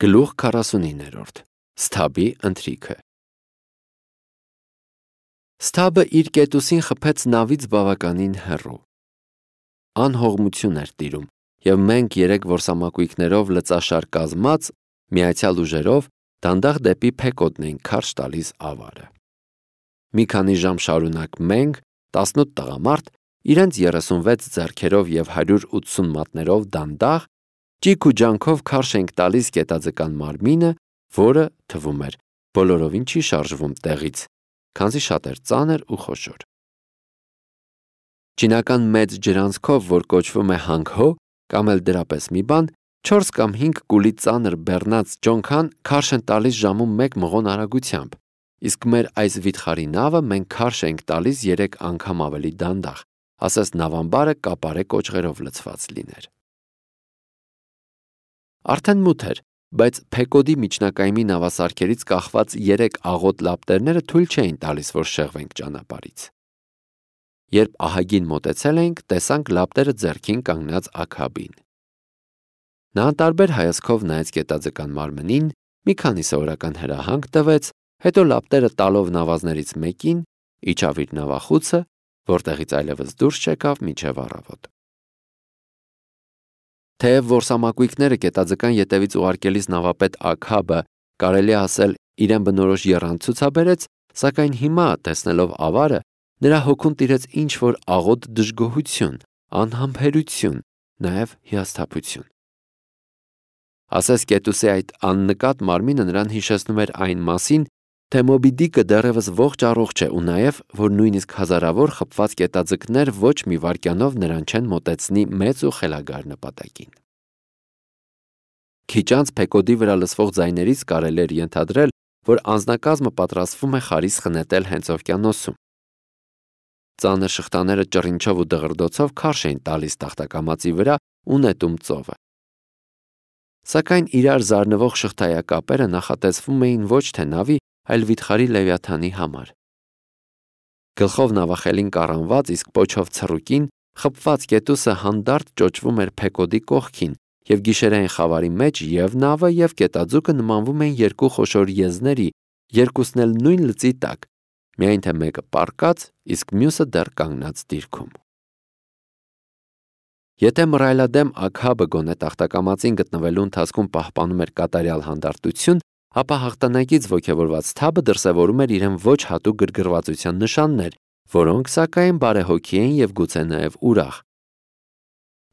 Գլուխ 49-րդ Սթաբի ընթրիքը Սթաբը իր կետուսին խփեց նավից բավականին հեռու։ Անհողմություն էր տիրում, և մենք երեք որսամակույկներով լծաշար կազմած, միացյալ ուժերով դանդաղ դեպի Փեկոդն էինք քարշ տալիս ավարը։ Մի քանի ժամ շարունակ մենք, 18 տղամարդ, իրենց 36 ձեռքերով և 180 մատներով դանդաղ, ճիք ու ջանքով քարշ ենք տալիս կետաձկան մարմինը, որը, թվում էր, բոլորովին չի շարժվում տեղից, քանզի շատ էր ծանր ու խոշոր։ Չինական մեծ ջրանցքով, որ կոչվում է հանգհո, կամ էլ դրապես մի բան, 4 կամ 5 կուլի ծանր բեռնած ջոնքան քարշ են տալիս ժամում 1 մղոն արագությամբ, իսկ մեր այս վիթխարի նավը մենք քարշ ենք տալիս 3 անգամ ավելի դանդաղ, ասես նավամբարը կապարե կոճղերով լցված լիներ։ Արդեն մութ էր, բայց Փեկոդի միջնակայմի նավասարքերից կախված 3 աղոտ լապտերները թույլ չէին տալիս, որ շեղվենք ճանապարհից։ Երբ ահագին մոտեցել էինք, տեսանք լապտերը ձեռքին կանգնած Աքաբին։ Նա անտարբեր հայացքով նայեց կետաձկան մարմնին, մի քանի սովորական հրահանգ տվեց, հետո լապտերը տալով նավազներից մեկին, իջավ իր նավախուցը, որտեղից այլևս դուրս չեկավ մինչև առավոտ։ Թեև որսամակույկները կետաձկան ետևից ուղարկելիս նավապետ Աքաբը, կարելի է ասել, իրեն բնորոշ եռանդ ցուցաբերեց, սակայն հիմա, տեսնելով ավարը, նրա հոգուն տիրեց ինչ-որ աղոտ դժգոհություն, անհամբերություն, նաև հիասթափություն։ Ասես կետուսի այդ աննկատ մարմինը նրան հիշեցնում էր այն մասին, թե Մոբի Դիկը դեռևս ողջ առողջ է ու նաև, որ նույնիսկ հազարավոր խփված կետաձկներ ոչ մի վայրկյանով նրան չեն մոտեցնի մեծ ու խելագար նպատակին։ Քիչ անց Փեկոդի վրա լսվող ձայներից կարելի էր ենթադրել, որ անձնակազմը պատրաստվում է խարիս խնետել հենց օվկիանոսում։ Ծանր շղթաները ճռինչով ու դղրդոցով քարշ էին տալիս տախտակամածի վրա ու նետում ծովը։ Սակայն իրար զարնվող շղթայակապերը նախատեսվում էին ոչ թե նավի, այլ վիթխարի Լևիաթանի համար։ Գլխով նավախելին կառանված, իսկ պոչով ցռուկին, խփված կետուսը հանդարտ ճոճվում էր Փեկոդի կողքին, և գիշերային խավարի մեջ և նավը, և կետաձուկը նմանվում էին երկու խոշոր եզների, երկուսն էլ նույն լծի տակ, միայն թե մեկը պառկած, իսկ մյուսը դեռ կանգնած դիրքում։ Եթե մռայլադեմ Աքաբը գոնե տախտակամածին գտնվելու ընթացքում պահպանում էր կատարյալ հանդարտություն, ապա հաղթանակից ոգևորված Սթաբը դրսևորում էր իրեն ոչ հատուկ գրգռվածության նշաններ, որոնք, սակայն, բարեհոգի էին և գուցե նաև ուրախ։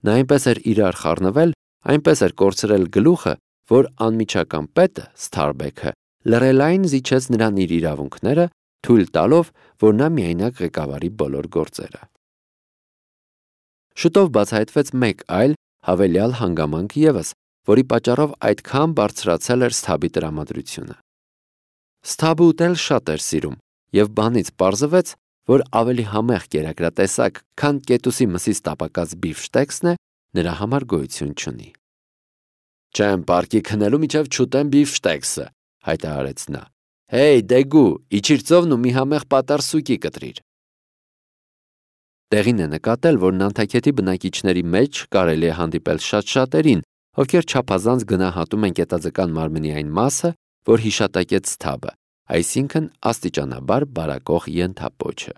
Նա այնպես էր իրար խառնվել, այնպես էր կորցրել գլուխը, որ անմիջական պետը, Սթարբեքը, լռելային զիջեց նրան իր իրավունքները, թույլ տալով, որ նա միայնակ ղեկավարի բոլոր գործերը։ Շուտով բացահայտվեց մեկ այլ, հավելյալ հանգամանք ևս, որի պատճառով այդքան բարձրացել էր Սթաբի տրամադրությունը։ Սթաբը ուտել շատ էր սիրում, և բանից պարզվեց, որ ավելի համեղ կերակրատեսակ, քան կետուսի մսից տապակած բիֆշտեքսն է, նրա համար գոյություն չունի։ «Չեմ պարկի քնելու մինչև չուտեմ բիֆշտեքսը», հայտարարեց նա։ «Հեյ, Դեգու, իջիր ծովն ու մի համեղ պատառ սուկի կտրիր»։ Տեղին է նկատել, որ Նանթաքեթի բնակիչների մեջ կարելի է հանդիպել շատ-շատերին, ովքեր չափազանց գնահատում են կետաձկան մարմնի այն մասը, որ հիշատակեց Սթաբը, այսինքն աստիճանաբար բարակող ենթապոչը։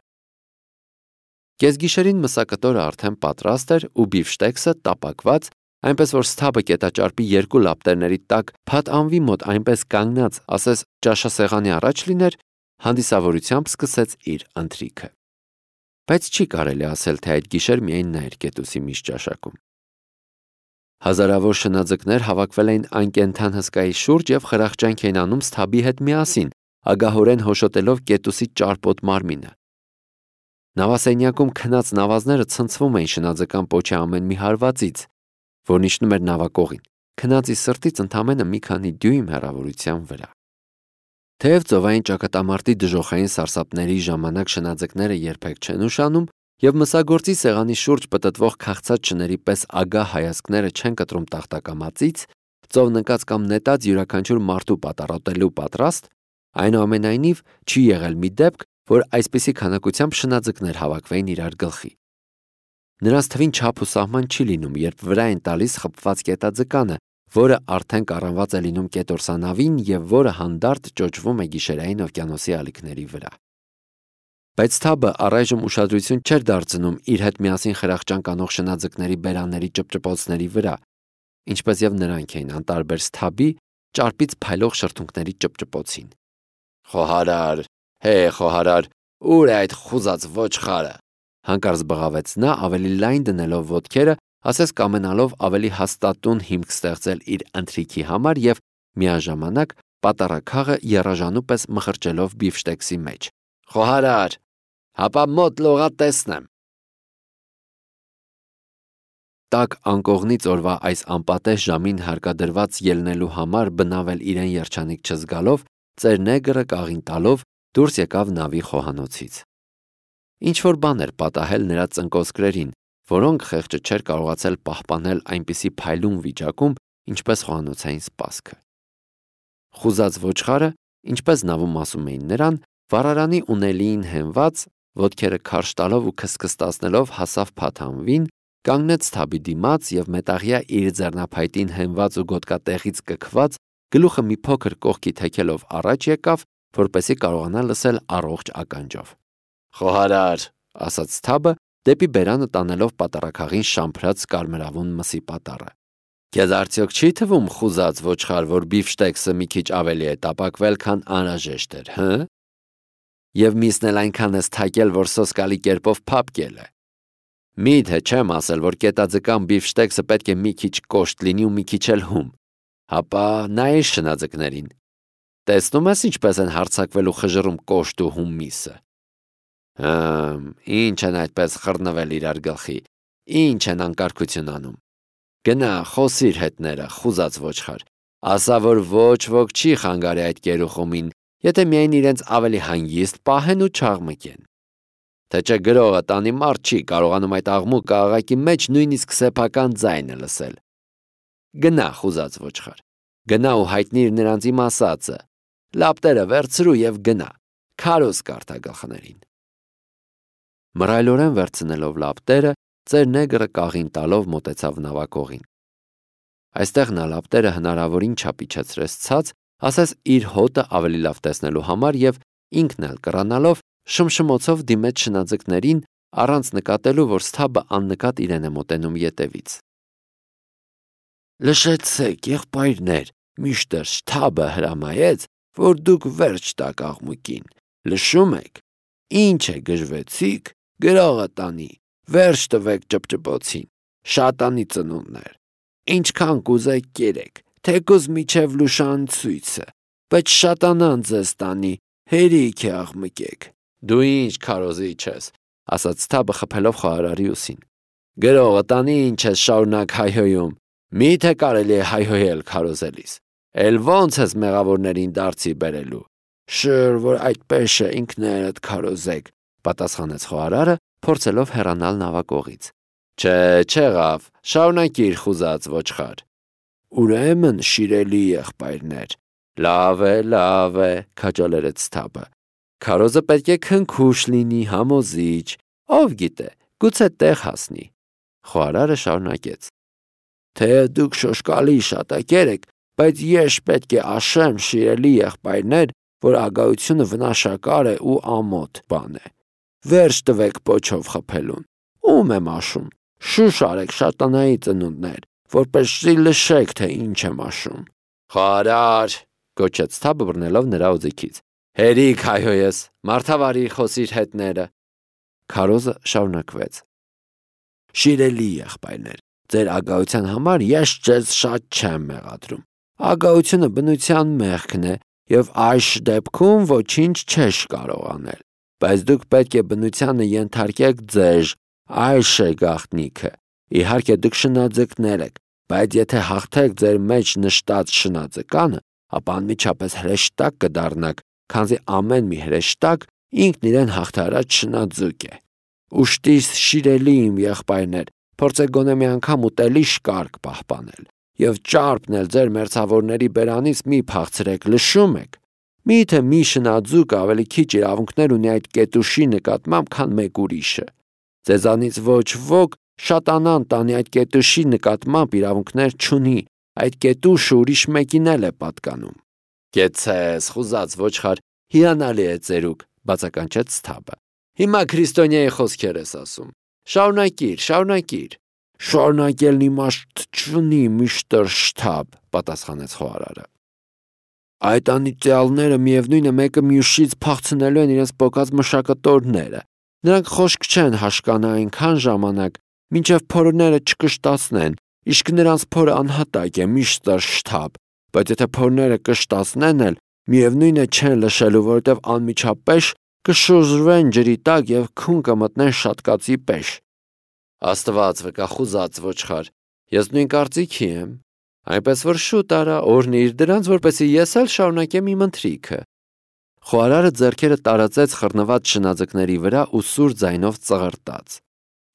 Կեսգիշերին մսակտորը արդեն պատրաստ էր ու բիֆշտեքսը տապակված, այնպես որ Սթաբը կետաճարպի 2 լապտերների տակ փաթ անվի մոտ այնպես կանգնած, ասես ճաշասեղանի առաջ լիներ, հանդիսավորությամբ սկսեց իր ընթրիքը։ Բայց չի կարելի ասել, թե այդ գիշեր միայն նա էր կետուսի միշտ ճաշակում։ Հազարավոր շնաձկներ հավաքվել էին անկենդան հսկայի շուրջ և խրախճանք էին անում Սթաբի հետ միասին, ագահորեն հոշոտելով կետուսի ճարպոտ մարմինը։ Նավասենյակում քնած նավազները ցնցվում էին շնաձկան պոչի ամեն մի հարվածից, որն իջնում էր նավակողին, քնածի սրտից ընդամենը մի քանի դյույմ հեռավորության վրա։ Թեև ծովային ճակատամարտի դժոխային սարսափների ժամանակ շնաձկները երբեք չեն ուշանում, և մսագործի սեղանի շուրջ պտտվող քաղցած շների պես ագահ հայացքները չեն կտրում տախտակամածից, ծով նկած կամ նետած յուրաքանչյուր մարդու պատառոտելու պատրաստ, այնուամենայնիվ չի եղել մի դեպք, որ այսպիսի քանակությամբ շնաձկներ հավաքվեին իրար գլխի։ Նրանց թվին չափ ու սահման չի լինում, երբ վրա են տալիս խփված կետաձկանը, որը արդեն կառանված է լինում կետորսանավին և որը հանդարտ ճոճվում է գիշերային օվկիանոսի ալիքների վրա։ Բայց Թաբը առայժմ ուշադրություն չէր դարձնում իր հետ միասին խրախճանք անող շնաձկների բերանների ճպճպոցների վրա, ինչպես և նրանք էին անտարբեր Թաբի ճարպից փայլող շրթունքների ճպճպոցին։ «Խոհարար, խոհարար, ուր է այդ խուզած ոչխարը», հանկարծ բղավեց նա, ավելի լայն դնելով ոտքերը, ասես կամենալով ավելի հաստատուն հիմք ստեղծել իր ընթրիքի համար և միաժամանակ պատառաքաղը եռաժանու պես մխրճելով բիֆշտեքսի մեջ։ «Խոհարար, հապա մոտ լողա տեսնեմ»։ Տաք անկողնից օրվա այս անպատեժ ժամին հարկադրված ելնելու համար բնավել իրեն երջանիկ չզգալով, ծեր նեգրը կաղին տալով դուրս եկավ նավի խոհանոցից։ Ինչ-որ բան էր պատահել նրա ծնկոսկրերին, որոնք խեղճը չէր կարողացել պահպանել այնպիսի փայլուն վիճակում, ինչպես խոհանոցային սպասքը։ Խուզած ոչխարը, ինչպես նավում ասում էին նրան, վառարանի ունելիին հենված, ոտքերը քարշ տալով ու քսքստացնելով հասավ փաթանվին, կանգնեց Թաբի դիմաց և մետաղյա իր ձեռնափայտին հենված ու գոտկատեղից կքված, գլուխը մի փոքր կողքի թեքելով առաջ եկավ, որպեսզի կարողանա լսել առողջ ականջով։ «Խոհարար», ասաց Թաբը, դեպի բերանը տանելով պատառաքաղին շամփրած կարմրավուն մսի պատառը։ «Քեզ արդյոք չի թվում, խուզած ոչխար, որ բիֆշտեքսը մի քիչ ավելի է տապակվել, քան անհրաժեշտ էր, հը՞։ Եվ միսն էլ այնքան ես թակել, որ սոսկալի կերպով փափկել է։ Մի՞թե չեմ ասել, որ կետաձկան բիֆշտեքսը պետք է մի քիչ կոշտ լինի ու մի քիչ էլ հում։ Հապա նայիր շնաձկներին։ Տեսնում ես ինչպես են հարձակվել ու խժռում կոշտ ու հում միսը։ Ինչ են այդպես խռնվել իրար գլխի, ինչ են անկարգություն անում։ Գնա, խոսիր հետները, խուզած ոչխար, ասա, որ ոչ ոք չի խանգարի այդ գերուխումին, եթե միայն իրենց ավելի հանգիստ պահեն ու չաղմկեն։ Թե չէ գրողը տանի մարդ չի կարողանում այդ աղմուկ աղաղակի մեջ նույնիսկ սեփական ձայնը լսել։ Գնա, խուզած ոչխար, գնա ու հայտնիր նրանց իմ ասածը, լապտերը վերցրու և գնա, քարոզ կարդա գլխներին։ Մռայլորեն վերցնելով լապտերը, ծեր նեգրը կաղին տալով մոտեցավ նավակողին։ Այստեղ նա լապտերը հնարավորին չափ իջեցրեց ցած, ասես իր հոտը ավելի լավ տեսնելու համար և ինքն էլ կռանալով շմշմոցով դիմեց շնաձկներին, առանց նկատելու, որ Թաբը աննկատ իրեն է մոտենում ետևից։ Լշեցեք, եղբայրներ, միշտր Թաբը հրամայեց, որ դուք վերջ տաք աղմուկին։ Լշում եք, ինչ է գժվեցիք, գրողը տանի, վերջ տվեք ճպճպոցին, շատանի ծնունդներ, ինչքան կուզեք կերեք, թեկուզ միջև լուշանցույցը, բայց շատանան ձեզ տանի, հերիք է աղմկեք։ Դու ինչ քարոզիչ ես, ասաց Թաբը խփելով խոհարարի ուսին։ Գրողը տանի ինչ ես շարունակ հայհոյում, միթե կարելի է հայհոյել քարոզելիս, էլ ոնց ես մեղավորներին դարձի բերելու։ Շր, որ այդպես է ինքներդ քարոզեք, պատասխանեց խոհարարը, փորձելով հեռանալ նավակողից։ Չէ, չեղավ, շարունակիր խուզած ոչխար։ Ուրեմն, շիրելի եղբայրներ, լավ է, քաջալերեց Թաբը։ Քարոզը պետք է քնքուշ լինի, համոզիչ, ով գիտե, գուցե տեղ հասնի։ Խոհարարը շարունակեց. Թե դուք շոշկալի շատակեր եք, բայց ես պետք է ասեմ, շիրելի եղբայրներ, որ ագահությունը վնաշակար է ու ամոթ բան է։ Վերջ տվեք պոչով խփելուն։ Ում եմ ասում, շուշ արեք շատանայի ծնունդներ, որպեսզի լշեք, թե ինչ եմ ասում։ Խոհարար, գոչեց Թաբը բռնելով նրա օձիքից։ Հերիք հայհոյես, մարդավարի խոսիր հետները։ Քարոզը շարունակվեց. Շիրելի եղբայրներ, ձեր ագահության համար ես ձեզ շատ չեմ մեղադրում։ Ագահությունը բնության մեղքն է և այս դեպքում ոչինչ չես կարող անել։ Բայց դուք պետք է բնությանը ենթարկեք ձեզ, այս է գաղտնիքը։ Իհարկե դուք շնաձկներ եք, բայց եթե հաղթեք ձեր մեջ նշտած շնաձկանը, ապա անմիջապես հրեշտակ կդառնաք, քանզի ամեն մի հրեշտակ ինքն իրեն հաղթարած շնաձուկ է։ Ուշտիս շիրելի իմ եղբայրներ, փորձեք գոնե մի անգամ ուտելիş կարգ պահպանել և ճարպն էլ ձեր մերձավորների բերանից մի փախցրեք, լշում եք։ Միթե մի շնաձուկ ավելի քիչ իրավունքներ ունի այդ կետուշի նկատմամբ, քան մեկ ուրիշը։ Ձեզանից ոչ ոք շատանան տանի այդ կետուշի նկատմամբ իրավունքներ չունի, այդ կետուշը ուրիշ մեկին էլ է պատկանում։ Կեցես, խուզած ոչխար, հիանալի է ծերուկ, բացականչեց Սթաբը։ Հիմա քրիստոնյայի խոսքեր ես ասում։ Շարունակիր։ Շարունակելն իմաստ չունի, միստր Շթաբ, պատասխանեց խոհարարը։ Այդ անիծյալները միևնույնը մեկը մյուսից փախցնելու են իրենց պոկած մշակտորները։ Նրանք խոշք չեն հաշկանա այնքան ժամանակ, մինչև փորները չկշտացնեն, իսկ նրանց փորը անհատակ է, միստր Շթաբ, բայց եթե փորները կշտացնեն էլ, միևնույնը չեն լշելու, որովհետև անմիջապես կշուժվեն ջրի տակ և քուն կմտնեն շատկածի պես։ Աստված վկա, խուզած ոչխար, ես նույն կարծիքի եմ, այնպես որ շուտ արա օրհնիր դրանց, որպեսզի ես էլ շարունակեմ իմ ընթրիքը։ Խոհարարը ձեռքերը տարածեց խռնված շնաձկների վրա ու սուր ձայնով ծղրտաց.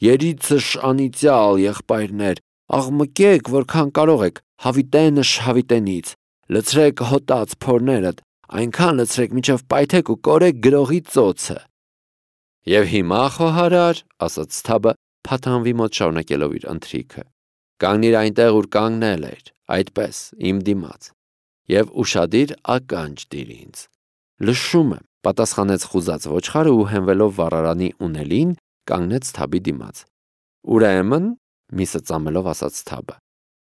Երիցս անիծյալ եղբայրներ, աղմկեք, որքան կարող եք, հավիտենը շհավիտենից, լցրեք հոտած փորներդ, այնքան լցրեք, մինչև պայթեք ու կորեք գրողի ծոցը։ Եվ հիմա, խոհարար, ասաց Սթաբը, փաթանվի մոտ շարունակելով իր ընթրիքը, կանգնիր այնտեղ, ուր կանգնել էր, այդպես, իմ դիմաց, և ուշադիր ականջ դիր ինձ։ Լշում եմ, պատասխանեց խուզած ոչխարը ու հենվելով վառարանի ունելին, կանգնեց Սթաբի դիմաց։ Ուրեմն, միսը ծամելով ասաց Սթաբը,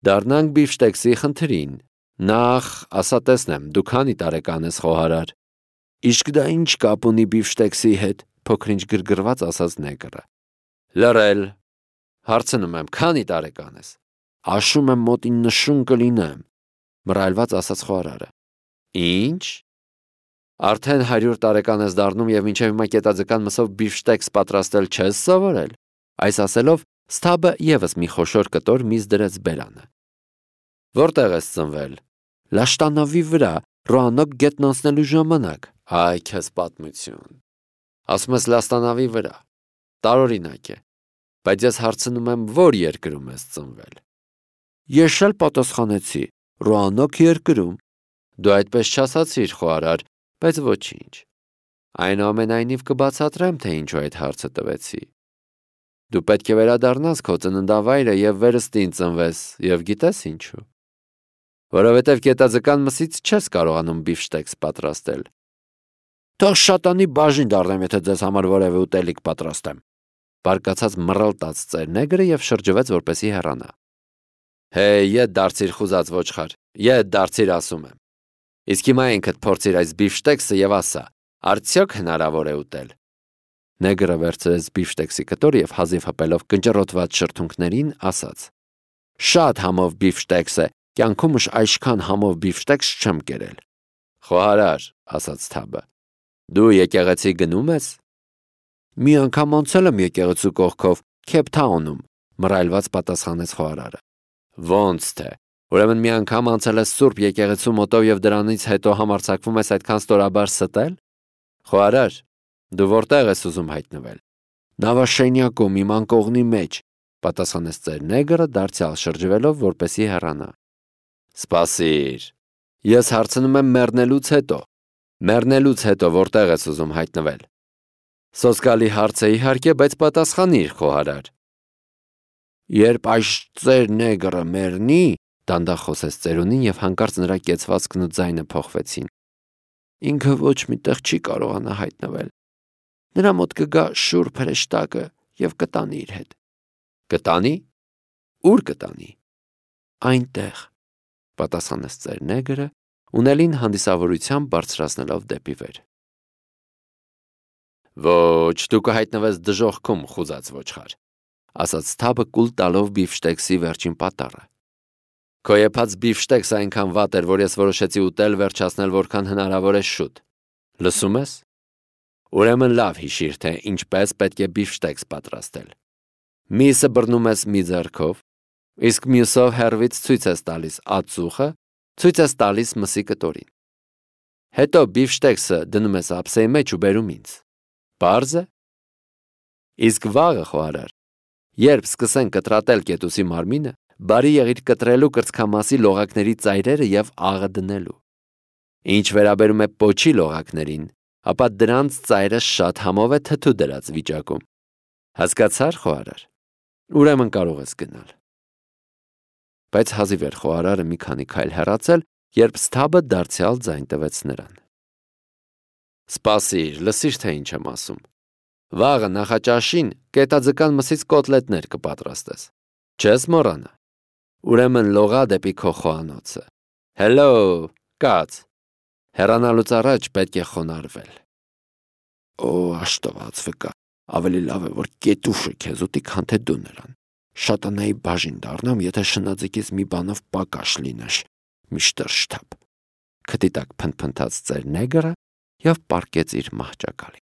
դառնանք բիֆշտեքսի խնդրին։ Նախ, ասա տեսնեմ, դու քանի տարեկան ես, խոհարար։ Իսկ դա ինչ կապ ունի բիֆշտեքսի հետ, փոքրինչ գրգռված ասաց նեգրը։ Լռել։ Հարցնում եմ, քանի տարեկան ես։ Աշում եմ մոտ 90 կլինեմ, մռայլված ասաց խոհարարը։ Ինչ։ Արդեն 100 տարեկան ես դառնում և մինչև հիմա կետաձկան մսով բիֆշտեքս պատրաստել չես սովորել։ Այս ասելով Սթաբը ևս մի խոշոր կտոր միզ դրեց բերանը։ Որտեղ ես ծնվել։ Լաշտանավի վրա, Ռոանոկ գետն անցնելու ժամանակ։ Այ քեզ պատմություն։ Ասում ես Լաստանավի վրա։ Տարօրինակ է։ Բայց ես հարցնում եմ, որ երկրում ես ծնվել։ Ես էլ պատասխանեցի, Ռոանոկ երկրում։ Դու այդպես չասացիր, խոհարար, բայց ոչինչ։ Այնուամենայնիվ կբացատրեմ, թե ինչու այդ հարցը տվեցի։ Դու պետք է վերադառնաս քո ծննդավայրը և վերստին ծնվես, և գիտես ինչու։ Որովհետև կետաձկան մսից չես կարողանում բիֆշտեքս պատրաստել։ Թող շատանի բաժին դառնեմ, եթե ձեզ համար որևէ ուտելիք պատրաստեմ։ Բարկացած մռլտաց ծերնեգրը և շրջվեց, որպեսզի հեռանա։ Հեյ, ետ դարձիր, խուզած ոչխար, ետ դարձիր, ասում եմ։ Իսկ հիմա ինքդ փորձիր այս բիֆշտեքսը և ասա, արդյոք հնարավոր է ուտել։ Նեգրը վերցրեց բիֆշտեքսի կտորը և հազիվ հպելով կնճռոտված շրթունքներին ասաց. Շատ համով բիֆշտեքս է, կյանքումս այսքան համով բիֆշտեքս չեմ կերել։ Խոհարար, ասաց Սթաբը, դու եկեղեցի գնում ես։ Մի անգամ անցել եմ եկեղեցու կողքով, Քեյփթաունում, մռայլված պատասխանեց խոհարարը։ Ոնց թե։ Ուրեմն մի անգամ անցել ես Սուրբ եկեղեցու մոտով և դրանից հետո համարձակվում ես այդքան ստորաբար ստել։ Խոհարար, դու որտեղ ես ուզում հայտնվել։ Նավաշենյակում, իմ անկողնի մեջ, պատասխանեց ծերնեգրը դարձյալ շրջվելով, որպեսզի հեռանա։ Սպասիր։ Ես հարցնում եմ մեռնելուց հետո։ Մեռնելուց հետո որտեղ ես ուզում հայտնվել։ Սոսկալի հարց է իհարկե, բայց պատասխանիր, խոհարար։ Երբ այս ծերնեգրը մեռնի, դանդաղ խոսեց ծերունին և հանկարծ նրա կեցվածքն ու ձայնը փոխվեցին։ Ինքը ոչ մի տեղ չի կարողանա հայտնվել։ Նրա մոտ կգա շուռ փրեշտակը և կտանի իր հետ։ Կտանի։ Ուր կտանի։ Այնտեղ, պատասխանեց ծերնեգրը, ունելին հանդիսավորությամբ բարձրացնելով դեպի վեր։ Ոչ, դու կհայտնվես դժոխքում, խուզած ոչխար, ասաց Սթաբը կուլ տալով բիֆշտեքսի վերջին պատառը։ Քո եփած բիֆշտեքսը այնքան վատ էր, որ ես որոշեցի ուտել վերջացնել որքան հնարավոր է շուտ։ Լսում ես։ Ուրեմն լավ հիշիր, թե ինչպես պետք է բիֆշտեքս պատրաստել։ Միսը բռնում ես մի ձեռքով, իսկ մյուսով հեռվից ցույց ես տալիս ածուխը, ցույց ես տալիս մսի կտորին։ Հետո բիֆշտեքսը դնում ես ափսեի մեջ ու բերում ինձ։ Պարզ է։ Իսկ վաղը, խոհարար, երբ սկսեն կտրատել կետուսի մարմինը, բարի եղիր կտրելու կրծքամասի լողակների ծայրերը և աղը դնելու։ Ինչ վերաբերում է պոչի լողակներին, ապա դրանց ծայրը շատ համով է թթու դրած վիճակում։ Հասկացա՞ր, խոհարար։ Ուրեմն կարող ես գնալ։ բայց հազիվ էր խոհարարը մի քանի քայլ հեռացել, երբ Սթաբը դարձյալ ձայն տվեց նրան։ Սպասիր, լսիր, թե ինչ եմ ասում։ Վաղը նախաճաշին կետաձկան մսից կոտլետներ կպատրաստես։ Չես մոռանա։ Ուրեմն լողա դեպի քո խոհանոցը։ Հելո, կաց։ Հեռանալուց առաջ պետք է խոնարհվել։ Օ, աշտված վկա, ավելի լավ է, որ կետուշը քեզ ուտի, քան թե դու նրան։ Շատանայի բաժին դառնամ, եթե շնաձկից մի բանով պակաշ լինеш, միշտր շտապ։ Քթի տակ փնթփնթաց ծեր նեգրը և պառկեց իր մահճակալին։